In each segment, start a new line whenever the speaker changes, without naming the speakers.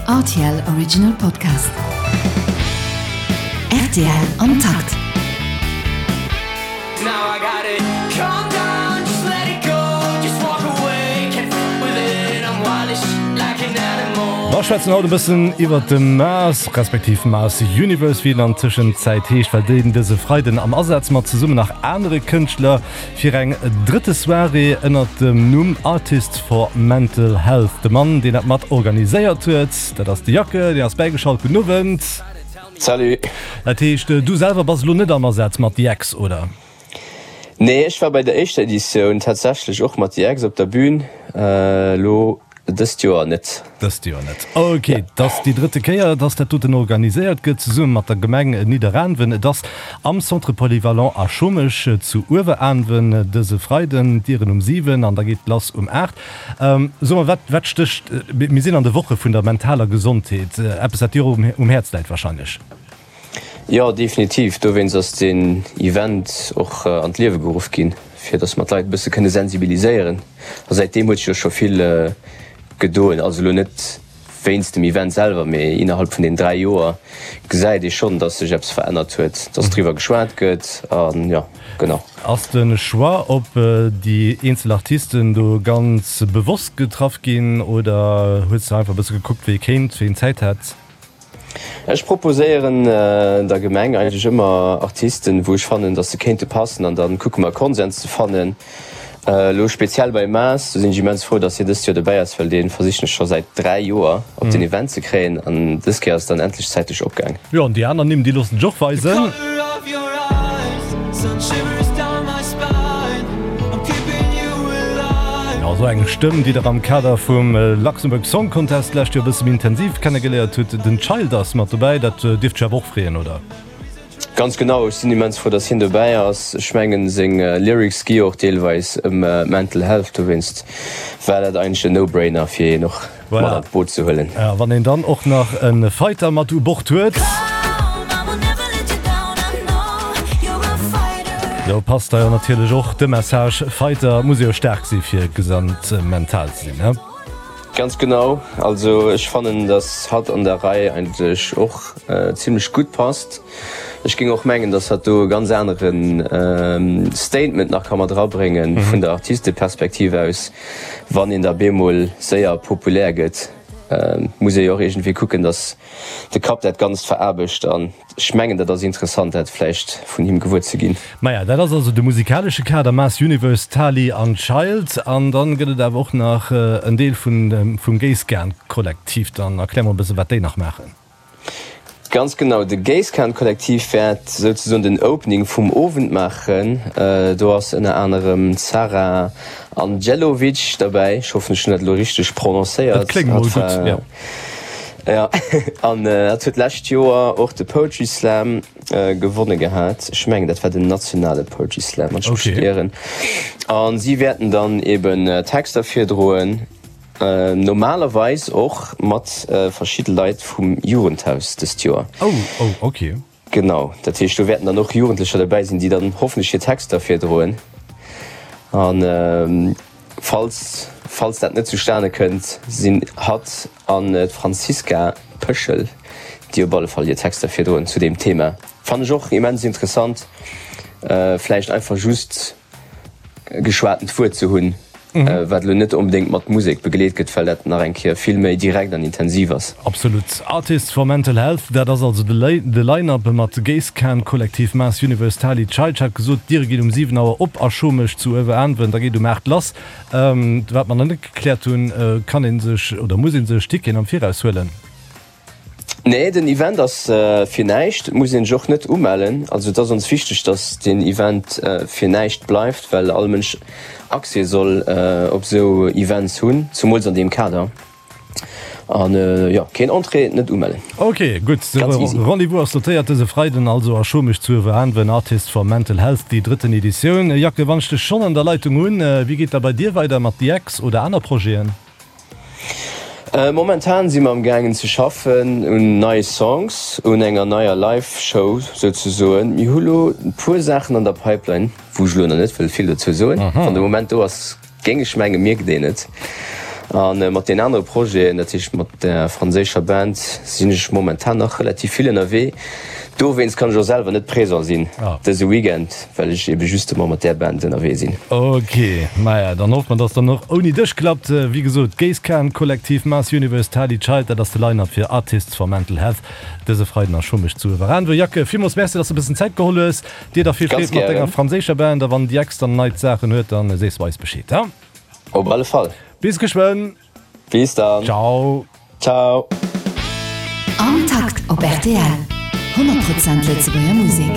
Rtl Original Podcast. Rtl am Takt.
Mer schwätzen haut e bëssen iwwert de Mars, respektiv Mars Universe, wéi en an Tëschenzäit heescht, well deen dëse Freiden am Asaz mat zesummen nach anere Kënschtler fir eng drëtte Soirée ënnert dem Numm Artists for Mental Health. De Mann, deen dat mat organiséiert huet, dat ass de Jacke, deen ass bäigeschalt. Gudden Owend.
Salut.
Dat heescht, du selwer bass elo net am Asaz mat The Ex, oder?
Nee, ech war bei der éischter Editioun tatsächlech och mat The Ex op der Bühn, elo dëst Joer net.
Dëst Joer net. Ok, et ass déi drëtte Kéier, dass dat doten organiséiert gëtt, zesumme mat der Gemeng Nidderaanwen. Et ass am Centre Polyvalent a Schomech zu Ueweraanwen dëse Freiden, d'Dieren um 7 an da geet et lass um 8. So mol, wat, wat stécht, mir sinn an de Woche vun der mentaler Gesondheet, eppes wat dir och um Häerz läit wahrscheinlech?
Jo, definitiv. Dowéinst ass deen Event och an d'Liewe geruff ginn, fir datt mer d'Leit e bësse kënne sensibiliséieren. A säitdeem huet sech jo scho vill gedoen. Also elo net wéinst dem Event selwer, mee innerhalb vun den 3 Joer gesäit ee schonn, datt sech eppes verännert huet, datt driwwer geschwat gëtt an jo, genau.
Ass de Choix op déi eenzel Artisten do ganz bewosst getraff ginn oder hues de einfach e bësse gekuckt, wee kéint, ween Zäit hätt?
Ech proposéieren der Gemeng eigentlech ëmmer Artisten, wou ech fannen, datt se kéinte passen an da kucke mer e Konsens ze fannen. Elo speziell bei Maas, do sinn ech immens frou, datt hien dëst Joer dobäi ass, well dee versichen ech scho säit 3 Joer op den Event ze kréien an dës Kéier ass et dann endlech zäitlech opgaang.
Jo, an déi aner Nimm, déi loossen sech och weisen. Jo, esou eng Stëmm, déi der am Kader vum Luxembourg Song Contest d'lescht Joer e bësse méi intensiv kennegeléiert hutt. Den Child ass mat dobäi, dat dierft dech awer och freeën, oder?
Ganz genau, ech sinn immens frou, dass hien dobäi ass. Ech mengen, seng Lyrics gi jo och deelweis ëm Mental Health, dowéinst war dat eigentlech en No-Brainer, fir hien och mat an d'Boot ze huelen.
A wann een dann och nach e Fighter mat u Bord huet. Do passt da jo natierlech och de Message, Fighter muss jo staark si fir gesond mental ze sinn, ne?
Ganz genau, also ech fannen dass hatt an der Rei eigentlech och zimlech gutt passt. Ech géing och mengen dass hatt do e ganz anere Statement nach ka mat erabréngen vun der Artisteperspektiv aus. Wann een da bemol séier populär gëtt, muss ee jo och iergendwéi kucken, datt de Kapp dat Ganzt veraarbecht. An ech mengen, dat ass interessant, dat vläicht vun him gewuer ze ginn.
Maja, dat ass also de musikalesche Kader, Mass Universe, Tali an Child. An dann gëtt et awer och nach en Deel vum Géisskan-Kollektiv. Dann erklär mol e bësse wat déi nach maachen.
Ganz genau, de Géisskan-Kollektiv wäert souzesoen den Opening vum Owend maachen. Do ass ënner anerem d'Sara Andjelovic derbäi, ech hoffen ech hunn dat elo richteg prononcéiert.
Dat kléngt mol gutt, jo.
Jo, an hatt huet d'lescht Joer och de Poetry Slam gewonne gehat. Ech mengen dat war den nationale Poetry Slam, wann ech mech net ieren. A si wäerten dann eben Texter virdroen. Normalerweis och mat verschidde Leit vum Jugendhaus dëst Joer.
Oh, oh, ok.
Genau, dat heescht do wäerten dann och Jugendlecher dobäi sinn, déi dann hoffentlech hir Texter virdroen. An falls, falls dat net zustane kënnt, sinn hatt an d'Franziska Peschel, déi op alle Fall hir Texter virdroen zu deem Thema. Fannen ech och immens interessant, vläicht einfach just geschwatent Wuert ze hunn, wat elo net onbedéngt mat Musek begleet gëtt, well dat nach eng Kéier vill méi direkt an intensiv ass.
Absolut. Artists for Mental Health, dat ass also de Line-Up mat Géisskan, Kollektiv Mass Universe, Tali, Child. Ech hat gesot, d'Diere ginn um 7 Auer op a Schomech zu Ueweraanwen, da geet um 8 lass. Wat mer nach net gekläert hunn, Kann ee sech oder muss ee sech Ticketen am Viraus huelen?
Nee, den Event ass fir näischt. Et muss een sech och net umellen. Also et ass ons wichteg, dass den Event fir näischt bleift, well all Mënsch Accès soll op esou Events hunn, zumools an deem Kader. An jo, keen Entrée, net umellen.
Ok, gutt. De Rendez-vous ass notéiert dëse Freiden also a Schomech zu Ueweraanwen, Artists for Mental Health, déi drëtten Editioun. Jacques, wann ech dech schonn an der Leitung hunn, wéi geet da bei dir weider mat The Ex oder aner Projeten?
Momentan si mer am gaangen ze schaffen un neie Songs, un enger neier Live Show souzesoen. Mir hu lo e puer Saachen an der Pipeline, wou ech lo nach net wëll vill dozou soen. Wann de Moment do ass, géing ech mengen, mierkt een et. A mat den anere Projeten, dat heescht mat der franséischer Band, sinn ech momentan nach relativ vill ënnerwee. Dowéinst kann ech och selwer net présent sinn dëse Weekend, well ech ebe justement mat där Band ënnerwee sinn.
Ok, maja, dann hoffe mer, dass dann och ouni dech klappt. Wéi gesot, Géisskan Kollektiv, Mars Universe, Tali Child, dat ass de Line-Up fir Artists for Mental Health dëse Freiden a Schommesch zu Ueweraanwen. Jacques, villmools Merci, dass de e bëssen Zäit geholl hues. Dir da vill Freed mat denger franséischer Band a wann Diex dann neit Saachen huet, dann sees du eis Bescheed, he?
Op alle Fall.
Bis geschwënn!
Bis dann!
Ciao!
Ciao!
Am Takt op rtl, 100 Prozent Lëtzebuerger Musek.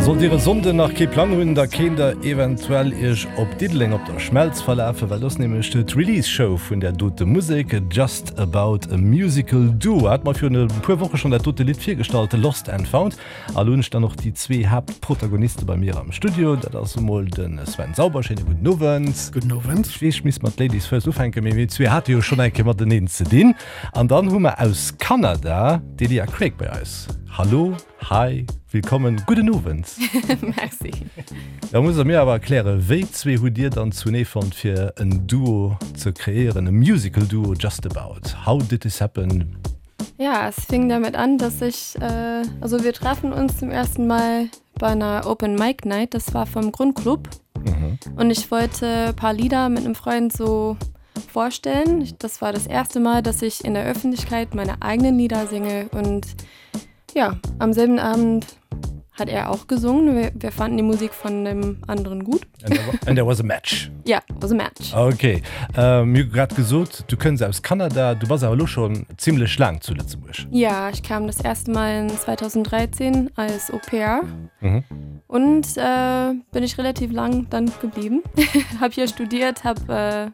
A sollt Dir e Sonnden nach kee Plang hunn, da kéint der eventuell Iech op Diddeleng op der Schmelz verlafen, well do ass nämlech d'Release Show vun där dote Musek, Just About a Musical Duo. Hat mer virun e puer Woche schonn dat dote Lidd virgestallt, Lost and Found. A lo hunn ech dann och déi zwee Haaptprotagoniste bei mir am Studio. Dat ass emol de Sven Sauber. Schéine gudden Owend.
Gudden Owend.
Ech weess, ech misst mat Ladies first ufänken, mee mir zwee hate jo schonn eng Kéier mateneen ze dinn. An dann hu mer aus Kanada d'Elia Craig bei eis. Hallo, hi, willkommen, gudden Owend.
Merci.
Da musst der mir awer erklären, wéi zwee hutt Dir dann zunee fonnt fir en Duo ze kreéieren, e Musical Duo just about? How did this happen?
Ja, es fing damit an, dass ich, äh, also wir trafen uns zum ersten Mal bei einer Open Mic Night, das war vom Grundclub. Mhm. Und ich wollte paar Lieder mit einem Freund so vorstellen. Das war das erste Mal, dass ich in der Öffentlichkeit meine eigenen Lieder singe und ja, am selben Abend hat er auch gesungen. Wir, wir fanden die Musik von dem anderen gut.
And there, and there was a match.
Ja, was a match.
Okay. Ähm, mir grad gesot, du kënns aus Kanada, du bass awer lo schon ziemlech laang zu Lëtzebuerg.
Ja, ich kam das erste Mal in 2013 als Au pair.
Mhm.
Und äh, bin ich relativ lang dann geblieben. hab hier studiert, hab äh, ein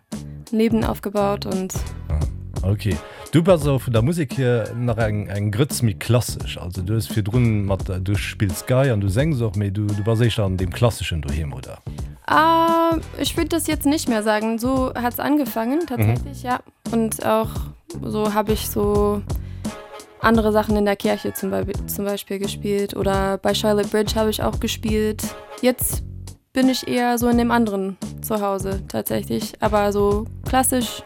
Leben aufgebaut und
ah, okay. Du bass awer vun der Musek hier nach eng eng Grëtz méi klassesch. Also du hues virdrun mat du spills Gei an du sengs och, mee du du bass éischter an deem Klasseschen doheem, oder?
Ah, ich würd das jetzt nicht mehr sagen. So hat's angefangen tatsächlich, mhm. ja. Und auch so hab ich so andere Sachen in der Kirche zum, Be zum Beispiel gespielt oder bei Charlotte Bridge habe ich auch gespielt. Jetzt bin ich eher so in dem anderen zu Hause tatsächlich, aber so klassisch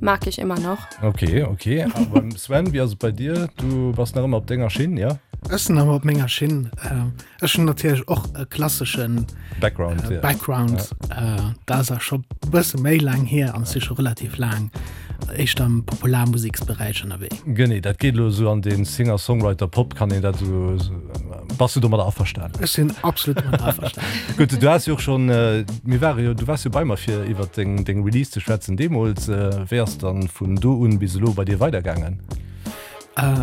mag ich immer noch.
Okay, okay. A beim Sven, wéi ass et bei dir? Du bass nach ëmmer op denger Schinn, jo?
Ech sinn nach ëmmer op menger Schinn. Ech hunn natierlech och e klasseschen
Background,
ja. Background. Ja. Dat ass awer scho bësse méi laang hier an ech si scho relativ laang éischter am Popularmuseksberäich ënnerwee.
Genee, dat geet elo esou an de Singer-Songwriter-Pop, kann een dat esou. Bass du domadder averstanen?
Ech sinn absolut domadder averstanen.
Gutt, du has jo och schonn, mir ware jo, du waars jo bei mer fir iwwer deng deng Release ze schwätzen deemools. Wéi ass dann vun do un bis elo bei dir weidergaangen?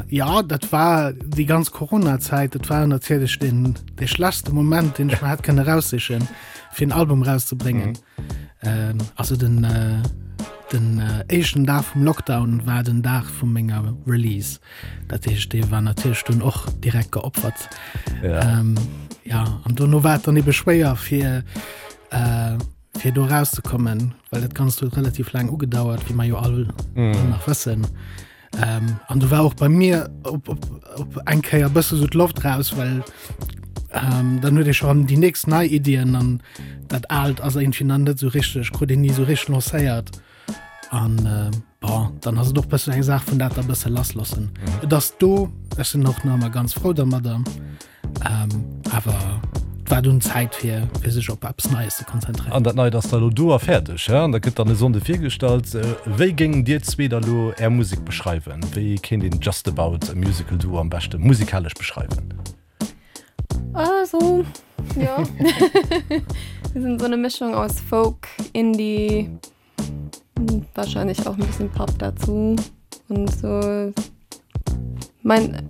Jo, dat war déi ganz Corona-Zäit, dat war natierlech deen dee schlechtste Moment, deen ech mer hätt kënne raussichen, fir en Album rauszebréngen. Also den den éischten Dag vum Lockdown war den Dag vu menger Release. Dat heescht, dee war natierlech dunn och direkt geopfert.
Ja.
Ähm, ja, an dono war et dann ebe schwéier fir äh, fir do rauszekommen, well dat Ganzt huet relativ laang ugedauert, wéi mer jo all mm. nach wëssen. Ähm, an du war och bei mir op, op, op eng Kéier bësse so d'Loft raus, well ähm, dann huet ee schon déi nächst nei Iddien an dat Aalt ass irgendwie dann net so richteg, krut een ni so richteg lancéiert. An äh, bon, dann ass et och bëssen eng Saach vun dat da bësse lassloossen. Mhm. Et ass do, ech sinn och nach ëmmer ganz frou dermadder. Ähm, awer et war dunn Zäit fir fir sech op eppes Neies ze konzentréieren.
An dat Neit ass da lo do a fäerdeg, hä? An dat gëtt dann e Sonnde virgestallt. Wéi géingt Dir zwee da lo Är Musek beschreiwen? Wéi kéint een Just About a Musical Duo am beschte musikalesch beschreiwen?
Also, ja. Wir sind so eine Mischung aus Folk, Indie, wahrscheinlich auch ein bisschen Pop dazu und so. Mein,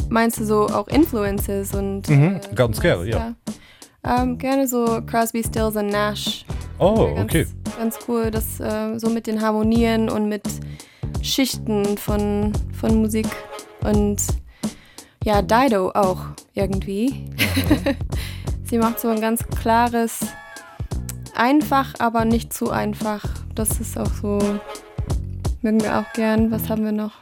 meinst du so auch Influences und
mhm, äh, ganz gerne ja.
ja. Ähm, gerne so Crosby, Stills und Nash.
Oh,
ganz,
okay.
Ganz cool, das äh, so mit den Harmonien und mit Schichten von, von Musik und ja Dido auch irgendwie.
Mhm.
Sie macht so ein ganz klares einfach, aber nicht zu einfach. Das ist auch so. Mögen wir auch gern. Was haben wir noch?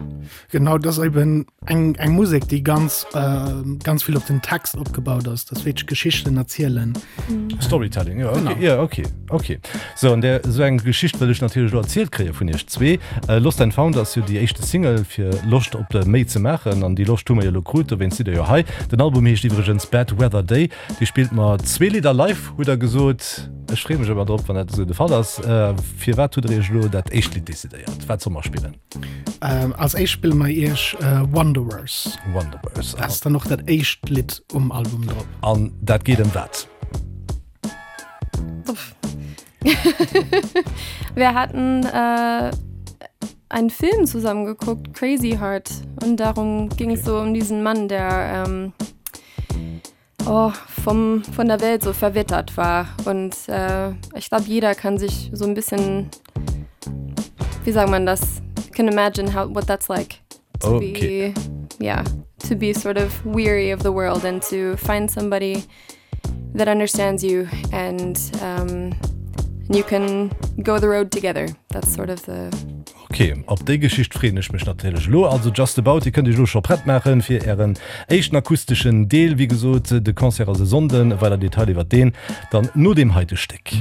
Genau, dat ass eben eng, eng Musek, déi ganz, äh, ganz vill op den Text opgebaut ass, dass wierklech Geschichten erzielen.
Mhm. Storytelling, ja, okay, ja, okay, okay. So, an der esou eng Geschicht wëll ech natierlech elo erzielt kréie vun iech zwee. Äh, Lost and Found ass jo déi éischte Single fir Loscht op méi ze maachen an déi Loscht hu mer jo elo krut, dowéinst sidd der jo hei. Den Album heescht iwwregens Bad Weather Day. Dir spillt mer zwee Lidder live, hutt der gesot. Ech freeë mech ëmmer drop, wann dat esou de Fall ass. Äh, firwat hutt der iech elo dat éischt Lidd decidéiert? Wat solle mer spillen?
Ähm, als éischt spille mer iech äh, Wanderers.
Wanderers.
Dat ass dann och dat éischt Lidd um Album drop.
An dat geet ëm wat?
Wir hatten äh, einen Film zusammen geguckt, Crazy Heart. Und darum ging okay. es so um diesen Mann, der ähm, oh, vom, von der Welt so verwittert war. Und äh, ich glaube, jeder kann sich so ein bisschen, wie sagt man das, can imagine how, what that's like. To
okay.
be, yeah, to be sort of weary of the world and to find somebody that understands you and um, you can go the road together. That's sort of the
Ok, op déi Geschicht freeën ech mech natierlech elo. Also Just About, Dir kënnt iech elo scho prett maachen fir ären éischten akusteschen Deel. Wéi gesot, de Concert ass e Sonnden. Weider Detailer iwwert deen dann no deem heite Stéck.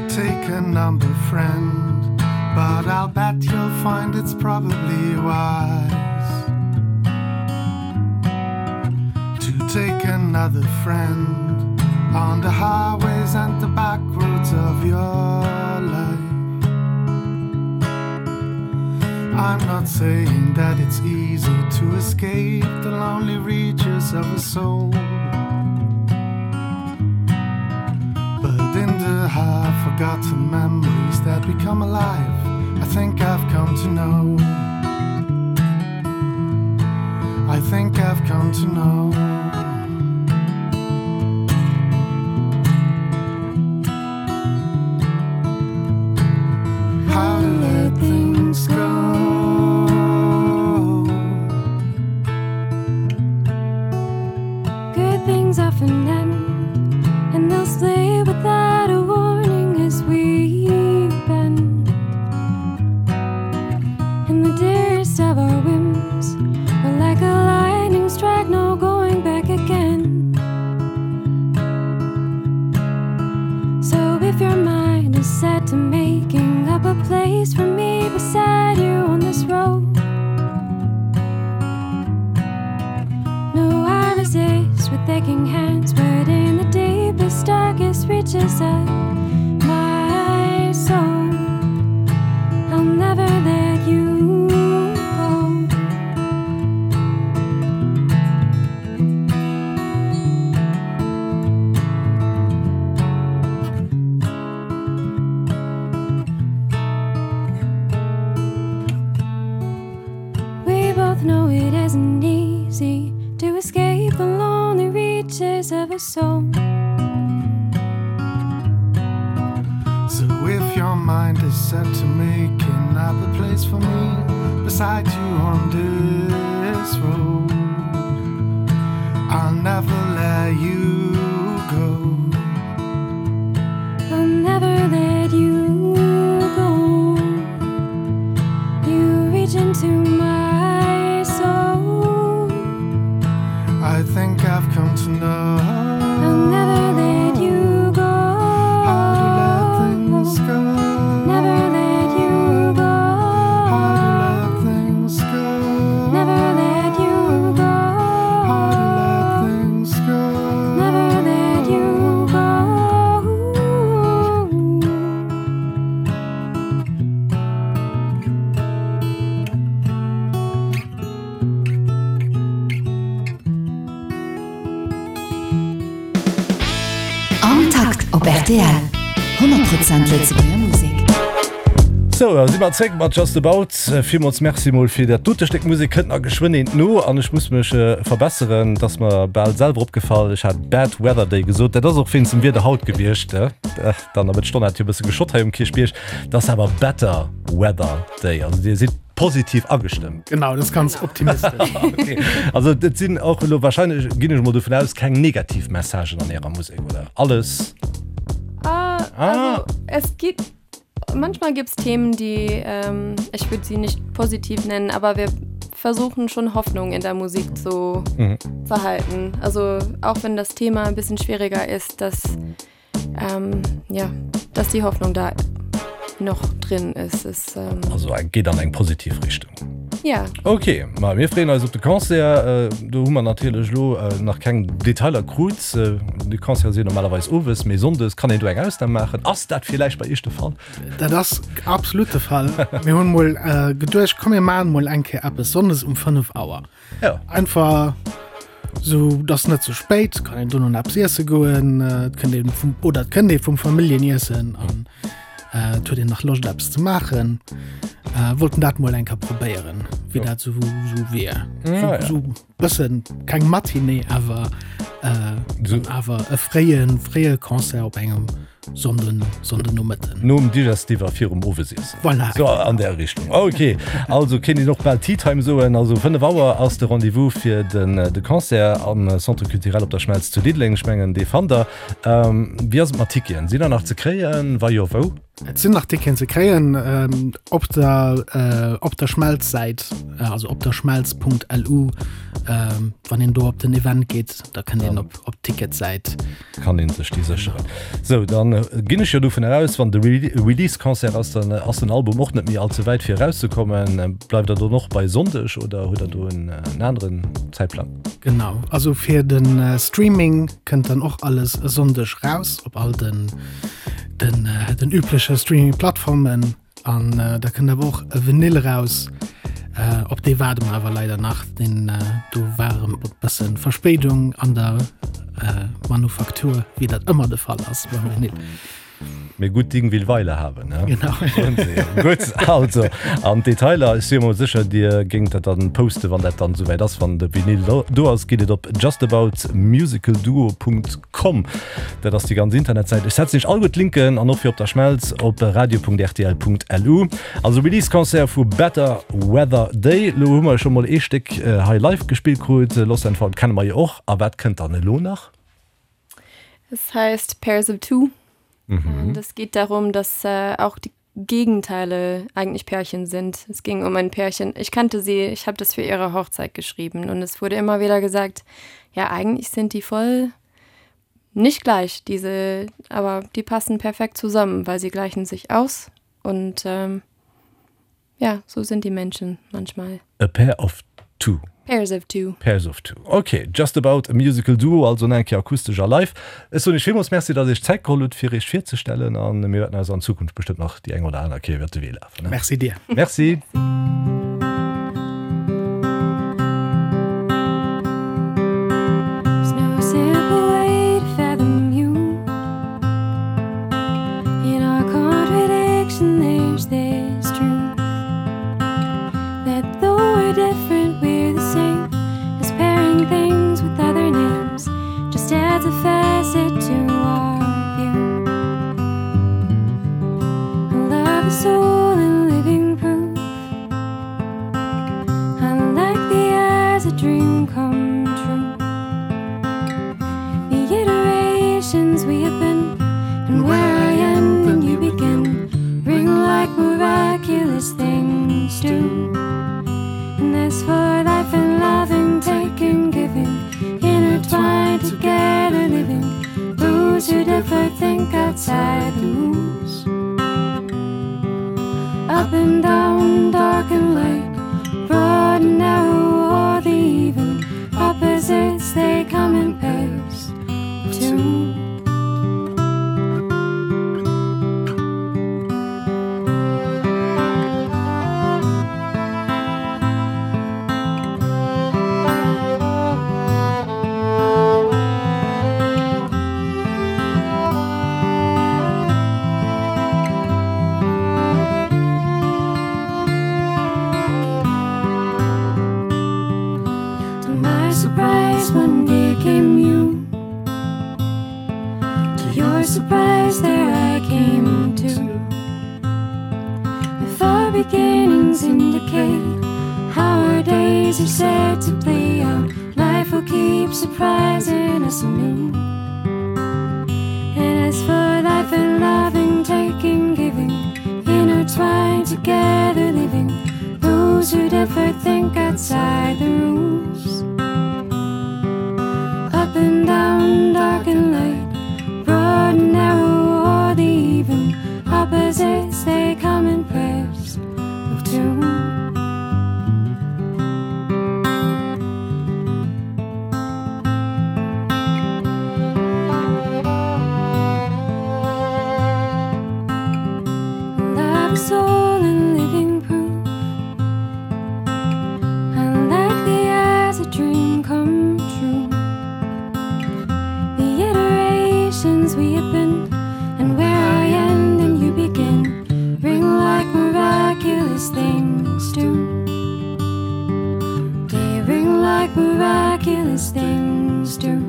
Take a number friend, but I'll bet you'll find it's probably wise To take another friend on the highways and the back roads of your life. I'm not saying that it's easy to escape the lonely reaches of a soul. But in the half-forgotten memories that become alive, I think I've come to know. I think I've come to know. How to let things go.
Good things often end, and they'll slay without a warning as we bend. And the dearest of our whims are like a lightning strike, no going back again. So if your mind is set to making up a place for me beside you on this road, No, I resist with aching hands, but in the deepest, darkest reaches of my soul, I'll never let you go. We both know it isn't easy to escape the lonely reaches of a soul.
So if your mind is set to making up a place for me beside you on this road, I'll never let you go.
I'll never let you go. You reach into my soul.
I think I've come to know.
I'll never let you go.
How to let things go.
Never let you go.
How to let things go.
Never let you go.
How to let things go.
Never let you go.
Am Takt op rtl, 100 Prozent Lëtzebuerger Musek.
Sou, da si mer zréck mat Just About. Villmools Merci mol fir dat dote Stéck Musek. Kënnt nach geschwënn eent no an ech muss mech verbesseren, et ass mer bal selwer opgefall, ech hat Bad Weather Day gesot. Dat ass och wéinst dem Wieder haut gewiescht. Dann a Mëtt Stonn hat jo e bësse geschott hei um Kierchbierg. Et ass awer Better Weather Day. Also Dir sidd positiv agestëmmt.
Genau, dat ass ganz optimistesch.
Okay. Also et sinn och elo wahrscheinlech, ginn ech mol dovun aus, keng negativ Messagen an Ärer Musek, oder? Alles.
Ah, also es gibt manchmal gibt es Themen, die ähm, ich würde sie nicht positiv nennen, aber wir versuchen schon Hoffnung in der Musik zu, mhm. zu halten. Also auch wenn das Thema ein bisschen schwieriger ist, dass, ähm, ja, dass die Hoffnung da noch drin ist. ist
ähm, also geht an eng positiv Richtung.
Ja.
Ok, ma mir freeën eis op de Concert. Do hu mer natierlech elo nach keng Detailer krut. Déi Concerte sinn normalerweis owes, mee sonndes kann een do eng Ausnam maachen. Ass dat villäicht bei iech de Fall?
Dat ass absolut de Fall. Mir hunn mol geduecht, komm mir maachen mol eng Kéier eppes sonndes um 5 Auer.
Ja.
Einfach sou, dass net ze spéit, kann een dono nach eppes iesse goen, et kënnt een vum, oder et kënnt ee vum Familljeniessen an et huet een nach Loscht eppes ze maachen. Wollten dat mol eng Kéier probéieren, wéi dat sou sou wier.
Ja, ja.
Sou bëssen keng Matinée, awer awer e fréien, fréie Concert op engem Sonnden, Sonndennomëtten.
Nom Digestif a virum Owesiessen.
Voilà.
So an där Richtung. Ok, also kéint een och bal Tea Time soen. Also 5 Auer ass de Rendez-vous fir den de Concert am Centre Culturel op der Schmelz zu Diddeleng. Ech mengen, dee fannt der. Wéi ass et mat Ticketen? Sinn der nach ze kréien? Wa jo, wou?
Et sinn nach Ticketen ze kréien op der op der Schmelz-Säit, also op der schmelz.lu. Wann een do op den Event geet, da kënnt een op op d'Ticketsäit.
Kann een sech déi sécheren. Sou, dann ginn ech jo dovun eraus, wann de Release-Concert ass, dann ass den Album och net méi all ze wäit fir erauszekommen. Bleift der dann och bei Sonndeg oder hutt der do en aneren Zäitplang?
Genau, also fir de Streaming kënnt dann och alles e Sonndeg raus op all den den den übleche Streaming-Plattformen. An da kënnt awer och e Vinyl raus. Op dee waarde mer awer leider nach. Deen do war erëm e bësse Verspéidung an der Manufaktur, wéi dat ëmmer de Fall ass beim Vinyl.
Mee gutt Ding will Weile haben, ne?
Genau.
Gutt, also an d'Detailer, ech si emol sécher, Dir géingt dat dann posten, wann dat dann esouwäit ass, wann de Vinyl do ass, geet et op justaboutmusicalduo.com. Com. Dat ass déi ganz Internetsäit. Ech setzen iech alleguer d'Linken an och fir op der Schmelz op radio.rtl.lu. Also Release-Concert vu Better Weather Day. Lo hu mer scho mol ee Stéck hei live gespillt krut. Lost and Found kenne mer jo och. A wat kënnt dann elo nach?
Es heißt Pairs of Two. Und es geht darum, dass auch die Gegenteile eigentlich Pärchen sind. Es ging um ein Pärchen. Ich kannte sie, ich habe das für ihre Hochzeit geschrieben und es wurde immer wieder gesagt, ja eigentlich sind die voll nicht gleich diese, aber die passen perfekt zusammen, weil sie gleichen sich aus und ähm, ja so sind die Menschen manchmal.
A pair of two.
Pairs of two.
Pairs of two. Ok, Just About a Musical Duo, also nach eng Kéier akustesch a live. Ech soen iech villmools Merci, datt Dir iech d'Zäit geholl hutt, fir iech virzestellen a mir wäerten eis an Zukunft bestëmmt nach déi eng oder aner Kéier iwwert de Wee lafen.
Merci dir.
Merci.
Days are set to play out. Life will keep surprising us anew. And as for life and loving, taking, giving, intertwined together, living, those who'd ever think outside the rules. Up and down, dark and light, broad and narrow, or the even opposites, they come in pairs of two. Love is all and living proof. Unlikely as a dream come true. The iterations we have been and where I end and you begin ring like miraculous things do. They ring like miraculous things do.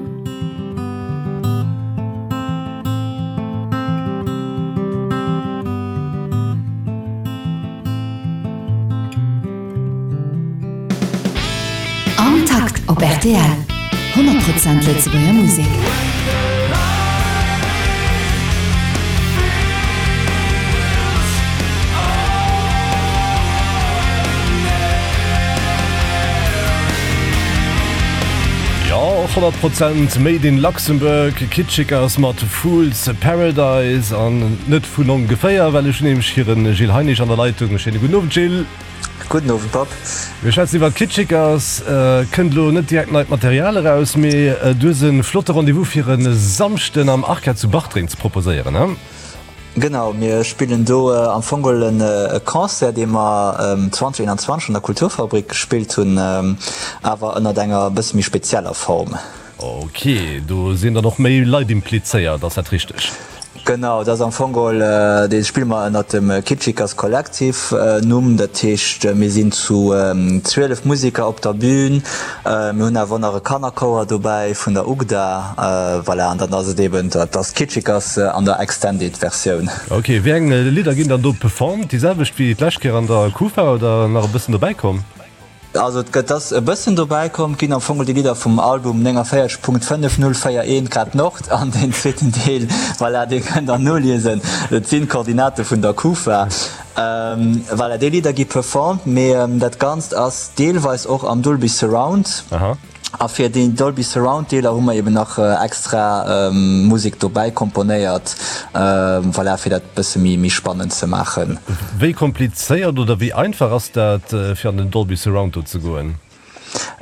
Am Takt op rtl, 100 Prozent Lëtzebuerger Musek.
Jo, 100 Prozent Made in Luxembourg, Kitschikers mat Fool's Paradise an net vun ongeféier, well ech hunn nämlech hiren Gilles Heinisch an der Leitung. Schéine gudden Owend, Gilles.
Gudden Owend, Bob.
Mir schwätzen iwwer d'Kitschikers. Kënnt elo net direkt neit Material eraus, mee du hues e flotte Rendez-vous fir e Samschden am Arca zu Bartreng ze proposéieren, he?
Genau, mir spillen do am Fong geholl e Concert, dee mer 2021 an der Kulturfabrik gespillt hunn, awer ënnert enger e bësse méi spezieller Form.
Ok, do sinn dann och méi Leit implizéiert, ass dat richteg?
Genau, dat ass am Fong geholl, dee spille mer ënnert dem Kitschikers Collective Numm. Dat heescht, mir sinn zu 12 Museker op der Bün. Mir hunn awer och nach e Kannerchouer dobäi vun der UGDA. Voilà, an dann ass et eben, dat ass d'Kitschikers an der Extended Versioun.
Ok, wéi eng Lidder ginn dann do performed? Déi selwecht wéi d'lescht Kéier an der Kufa oder nach e bëssen dobäi komm?
Also et gëtt ass e bëssen dobäi komm, et ginn am Fong déi Lidder vum Album 49.5041 Grad Nord an deen zweeten Deel, voilà, dee kënnt der noliesen, et sinn d'Koordinate vun der Kufa. Voilà, déi Lidder gi performed, mee dat Ganzt ass deelweis och am Dolby Surround. A fir déi Dolby Surround Deeler hu mer eben nach extra Musek dobäi komponéiert, voilà, fir dat bësse méi méi spannend ze maachen.
Wéi komplizéiert oder wéi einfach ass dat fir an den Dolby Surround do ze goen?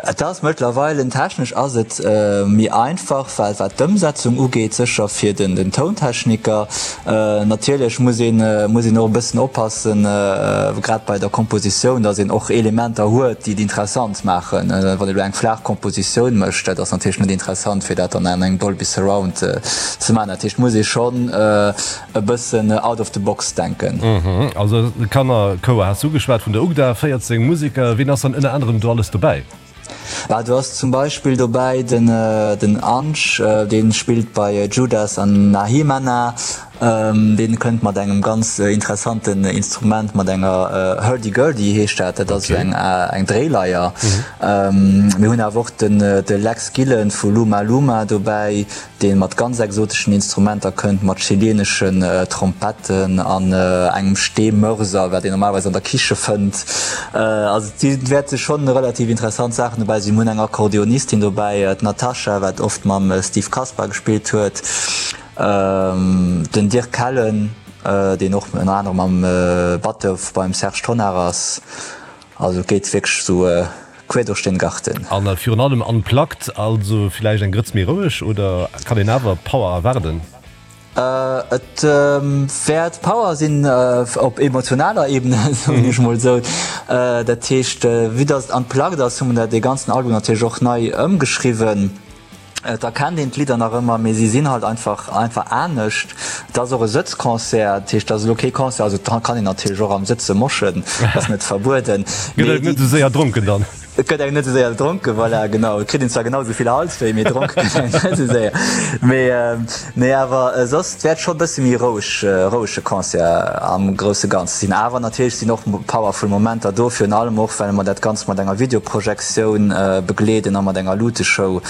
Et ass mëttlerweile, technesch ass et méi einfach, well wat d'Ëmsetzung ugeet, sécher fir den den Tountechniker. Natierlech muss een muss een och e bëssen oppassen, grad bei der Kompositioun, datt een och Elementer huet, déi et interessant maachen. Wann ee lo eng flaach Kompositioun mécht, dat ass natierlech net interessant, fir dat dann an engem Dolby Surround ze maachen. Dat heescht, muss ee schonn e bëssen out of the box denken.
Also de Kannerchouer has du ugeschwat vun der UGDA, 14 Museker. Wien ass dann ënner anerem do alles dobäi?
Bah, do ass zum Beispill dobäi den den Ange, dee spillt bei Judas an Nahimana. Dee kënnt mat engem ganz interessanten Instrument, mat enger Hurdy-Gurdy heescht dat, dat ass esou eng eng Dréileier. Mir hunn awer och den de Lex Gillen vu Luma Luma dobäi, dee mat ganz exoteschen Instrumenter kënnt, mat chileeneschen Trompetten an engem Steemörser, wat een normalerweis an der Kiche fënnt. Also et wäerte schonn relativ interessant Saachen dobäi sinn. Mir hunn eng Akkordeonistin dobäi, d'Natasha, wat oft mam Steve Kasper gespillt huet, den Dirk Kellen, deen och ënner anerem am Batteur beim Serge Tonnar ass. Also et geet wierklech esou Quer durch den Garten.
An virun allem unplugged, also villäicht eng Grëtz méi roueg, oder kann een awer Power erwaarden?
Et wäert Power sinn, op emotionaler Ebene, soen ech mol esou. Dat heescht, vue dass et unplugged ass, hu mer dat dee ganzen Album natierlech och nei ëmgeschriwwen. Et erkennt een d'Lidder nach ëmmer, mee si sinn halt einfach einfach anescht. Et ass och e Sëtzconcert, dat heescht, et ass elo kee Concert, also et kann een natierlech och am Sëtze moschen, ass net verbueden.
Gëtt et net esou séier dronken dann?
Et gëtt engem net esou séier dronken, voilà, genau. Et kritt een zwar genau esou vill Halswéi, mee dronke gëtt engem net esou séier. Mee, nee, awer soss, et wäert scho e bësse méi roueg, rouege Concert am grousse Ganze sinn. Awer natierlech sinn och powerful Momenter do, virun allem och, well mer dat Ganzt mat enger Videoprojektioun begleeden a mat enger Luteshow.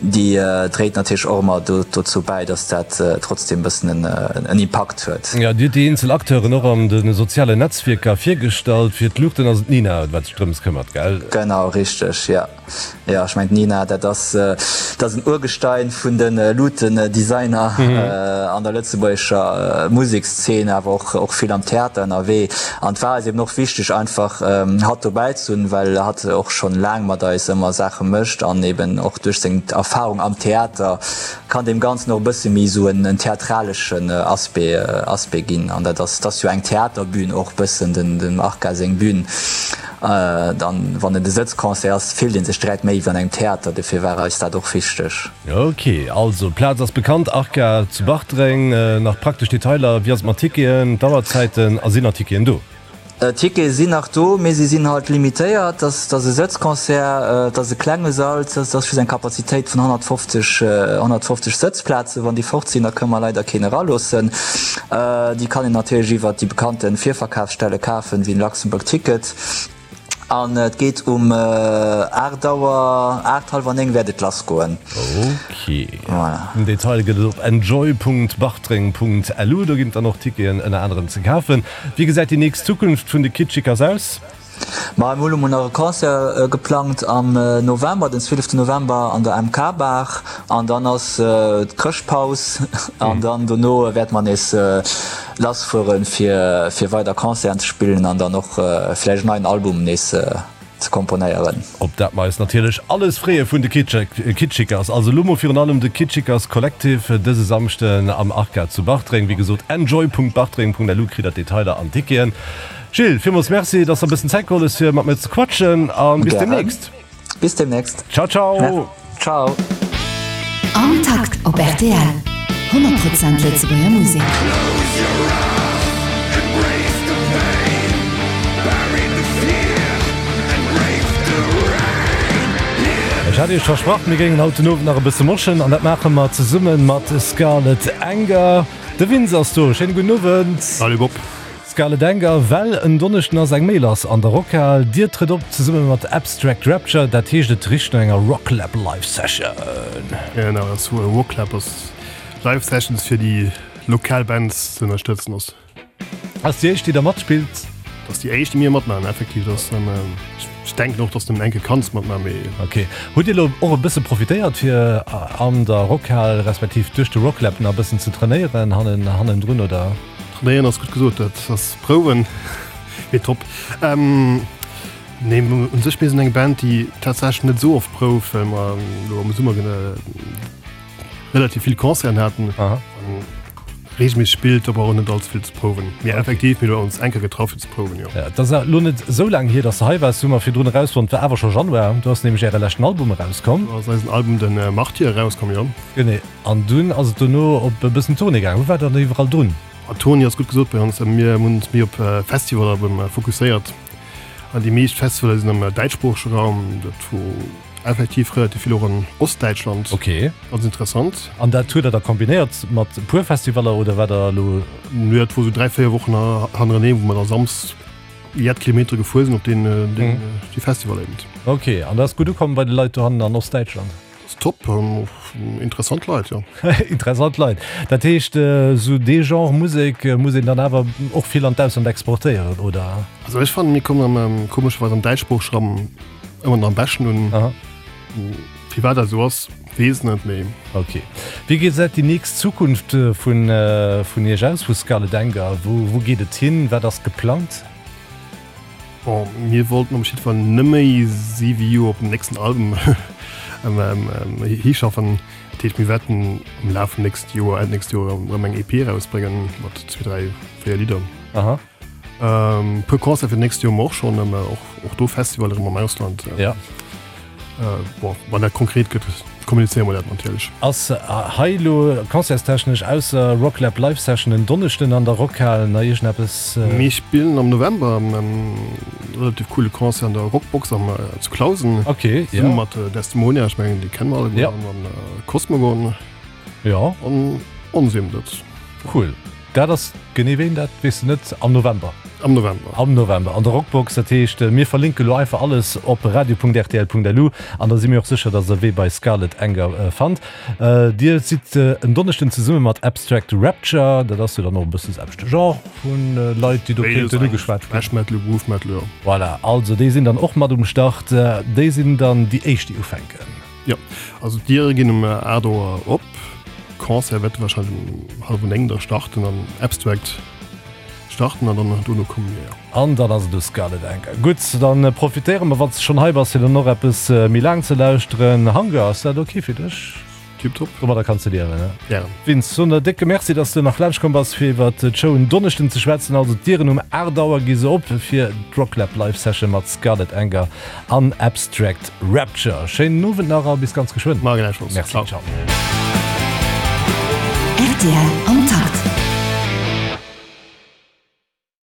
Déi dréit natierlech och ëmmer dozou bäi, dass dat trotzdem e bëssen en Impakt huet.
Jo, Dir hutt déi eenzel Acteuren och an de sozialen Netzwierker virgestallt. Fir d'Luuchten ass et d'Nina, wat sech drëms këmmert, gell?
Genau, richteg, jo. Jo, ech mengen d'Nina, dat ass, dat ass en Urgestein vun de Luutendesigner an der lëtzebuergescher Musekszeen, awer och, och vill am Theater ënnerwee. An et war eis eben och wichteg einfach hatt dobäi ze hunn, well hatt och schonn laang mat eis ëmmer Saache mécht an eben och duerch seng Erfahrung am Theater kann deem Ganzen och e bësse méi esou en theatraleschen Aspect, Aspect ginn. An dat ass, dat ass jo eng Theaterbün och bëssen, den, dem Arca seng Bühn. Dann, wann et e Sëtzconcert ass, fillt ee sech direkt méi wéi an engem Theater. Dofir war eis dat och wichteg.
Ok, also d'Plaz ass bekannt, Arca zu Bartreng. Nach praktesch Detailer, wéi ass et mat Ticketen, d'Auerzäiten a sinn nach Ticketen do?
D'Tickete sinn nach do, mee se sinn halt limitéiert. Et ass e Sëtzconcert, et ass e klenge Sall, et ass just eng Kapazitéit vun 150, 150 Sëtzplazen. Wann déi fort sinn, da kënne mer leider keen eraloossen. Déi kann een natierlech iwwert déi bekannte Virverkafsstelle kafen, wéi den Luxembourg Ticket. An et geet um 8 Auer, 8, hallwer 9 wäert et lass goen.
Ok. Voilà. Den Detail gëtt et op enjoy.bartreng.lu. Do ginn et dann och Ticketen ënner anerem ze kafen. Wéi gesäit déi nächst Zukunft vun de Kitschikers aus?
Ma mir hu lo mol nach e Concert geplangt am November, den 12 November an der MK Bar. An dann ass d'Chrëschtpaus an dann dono wäerte mer nees lass fueren fir fir weider Concerten ze spillen an dann och vläicht en neien Album nees ze komponéieren.
Op dat mer eis natierlech alles freeë vun de Kitschikers. Also elo mol virun allem de Kitschikers Collective dëse Samschden am Arca zu Bartreng. Wéi gesot enjoy.bartreng.lu kritt der d'Detailer an d'Ticketen. Gilles, villmools Merci, dass der e bëssen Zäit geholl hues fir mat mir ze quatschen a bis demnächst.
Bis demnächst.
Ciao, ciao.
Ciao.
Am Takt op rtl, 100 Prozent Lëtzebuerger Musek.
Ech hat iech versprach, mir géingen haut den Owend nach e bësse moschen an dat maache mer zesumme mat Scarlet Anger. De Vince ass do. Schéine gudden Owend.
Salut Bob.
Scarlet Anger, Well en Donneschden ass eng méi lass an der Rockhal. Dir trëtt op zesumme mat Abstract Rapture, dat heescht et richt no enger Rocklab Live Session.
Genau, dat ass Rocklab ass Live Sessions fir déi lokal Bands ze ënnerstëtzen ass.
Ass déi éischt déi der matspillt?
Dat ass déi éischt déi mir matmaachen effektiv. Dat ass dann, ech denken och dass de enke kanns matmaachen mee.
Ok. Hutt Dir elo och e bësse profitéiert fir an der Rockhal respektiv duerch de Rocklab nach e bëssen ze trainéieren hannen hannendrun oder?
Trainéieren ass gutt gesot, dat ass prouwen, mee top. Nee, un sech mir sinn eng Band, déi tatsächlech net esou oft prouft, well mer elo am Summer relativ vill Concerten haten. Aha. Regelméisseg spillt, da brauch een net allze vill ze prouwen. Mee effektiv, mir hu ons eng Kéier getraff fir ze prouwen, jo.
Ja, et ass elo net esou laang hier, dass de hei waars, hu mer virdrun erausfonnt, war awer scho Januar. Do ass nämlech äre leschten Album erauskomm.
Do ass eisen Album, den Martyr, erauskomm, jo.
Genee. An dunn ass et dono op e bëssen Tournée gaangen. Wou waart der dann iwwerall drun?
Tournée ass gutt gesot bei ons. Mir hunn ons méi op Festivaller erëm fokusséiert. An déi meescht Festivaller sinn am däitschsproochege Raum. Dat wor effektiv relativ vill och an Ostdäitschland.
Ok.
Ganz interessant.
An dat huet der da kombinéiert mat e puer Festivaller oder war der elo?
Nö, dat wor sou 3, 4 Wochen hannereneen, wou mer da Samsdes jett Kilometere gefuer sinn op deen, déi Festivaller eben.
Ok, an dat ass gutt ukomm bei de Leit dohannen an Ostdäitschland?
Top, interessant Leit, jo.
Interessant Leit. Dat heescht, esou dee Genre Musek muss een dann awer och vill an d'Ausland exportéieren, oder?
Also ech fannen, mir kommen am, komescherweis am däitschsproochege Raum ëmmer nach am beschten un.
Aha.
Firwat dat esou ass, weess net, mee.
Ok. Wéi gesäit déi nächst Zukunft vun vun Iech aus, vu Scarlet Anger? Wou wou geet et hin? Wat ass geplangt?
Bon, mir wollten op jiddwer Fall net méi 7 Joer op den nächsten Album hischaffen. Dat heescht, mir wäerten am Laf vum nächste Joer, Enn nächst Joer erëm eng EP erausbréngen mat zwee, dräi, véier Lidder.
Aha.
E puer Concerte fir d'nächst Joer hu mer och schonn, och do Festivaller erëm am Ausland.
Ja.
Bon, wann dat konkret gëtt, kommunizéiere mer dat natierlech.
Ass hei elo concertstechnesch ausser Rocklab Live Session en Donneschden an der Rockhal nach iergendeppes?
Mir spillen am November e relativ coole Concert an der Rockbox am zu Clausen.
Ok, jo.
Zesumme mat Desdemonia, ech mengen déi kenne mer alleguer, an Cosmogon.
Jo.
An ons eben dat.
Cool. Dat ass genee wéini? Dat weess de net. Am November?
Am November.
Am November an der Rockbox. Dat heescht, mir verlinke lo einfach alles op radio.rtl.lu an da si mir och sécher, dass der Wee bei Scarlet Anger fannt. Dir sidd en Donneschden zesumme mat Abstract Rapture. Dat ass jo dann och e bëssen de selwechte Genre vu Leit, déi do kéinten ugeschwat ginn.
Thrash Metal, Groove Metal, jo.
Voilà, also déi sinn dann och mat um Start. Déi sinn dann déi éischt, déi ufänken.
Jo, also d'Diere ginn um 8 Auer op. Concert wäerte warscheinlech um hallwer 9 da starten an Abstract starten an dann dono komme mir, jo.
An dann ass et u Scarlet Anchor. Gutt, dann profitéiere mer, wann s de schonn hei bass, fir dann och eppes méi laang ze lauschteren. Hunger, ass dat ok fir dech?
Tiptop.
Domadder kanns de liewen, ne?
Gären.
Vince, soen der décke Merci, dass de nach laanscht komm bass, fir iwwert d'Show en Donneschden ze schwätzen. Also d'Dieren um 8 Auer gi se op fir d'Rocklab Live Session mat Scarlet Anger an Abstract Rapture. Schéinen Owend nach a bis ganz geschwënn.
Ma gläichfalls.
Merci, ciao.
Rtl am Takt.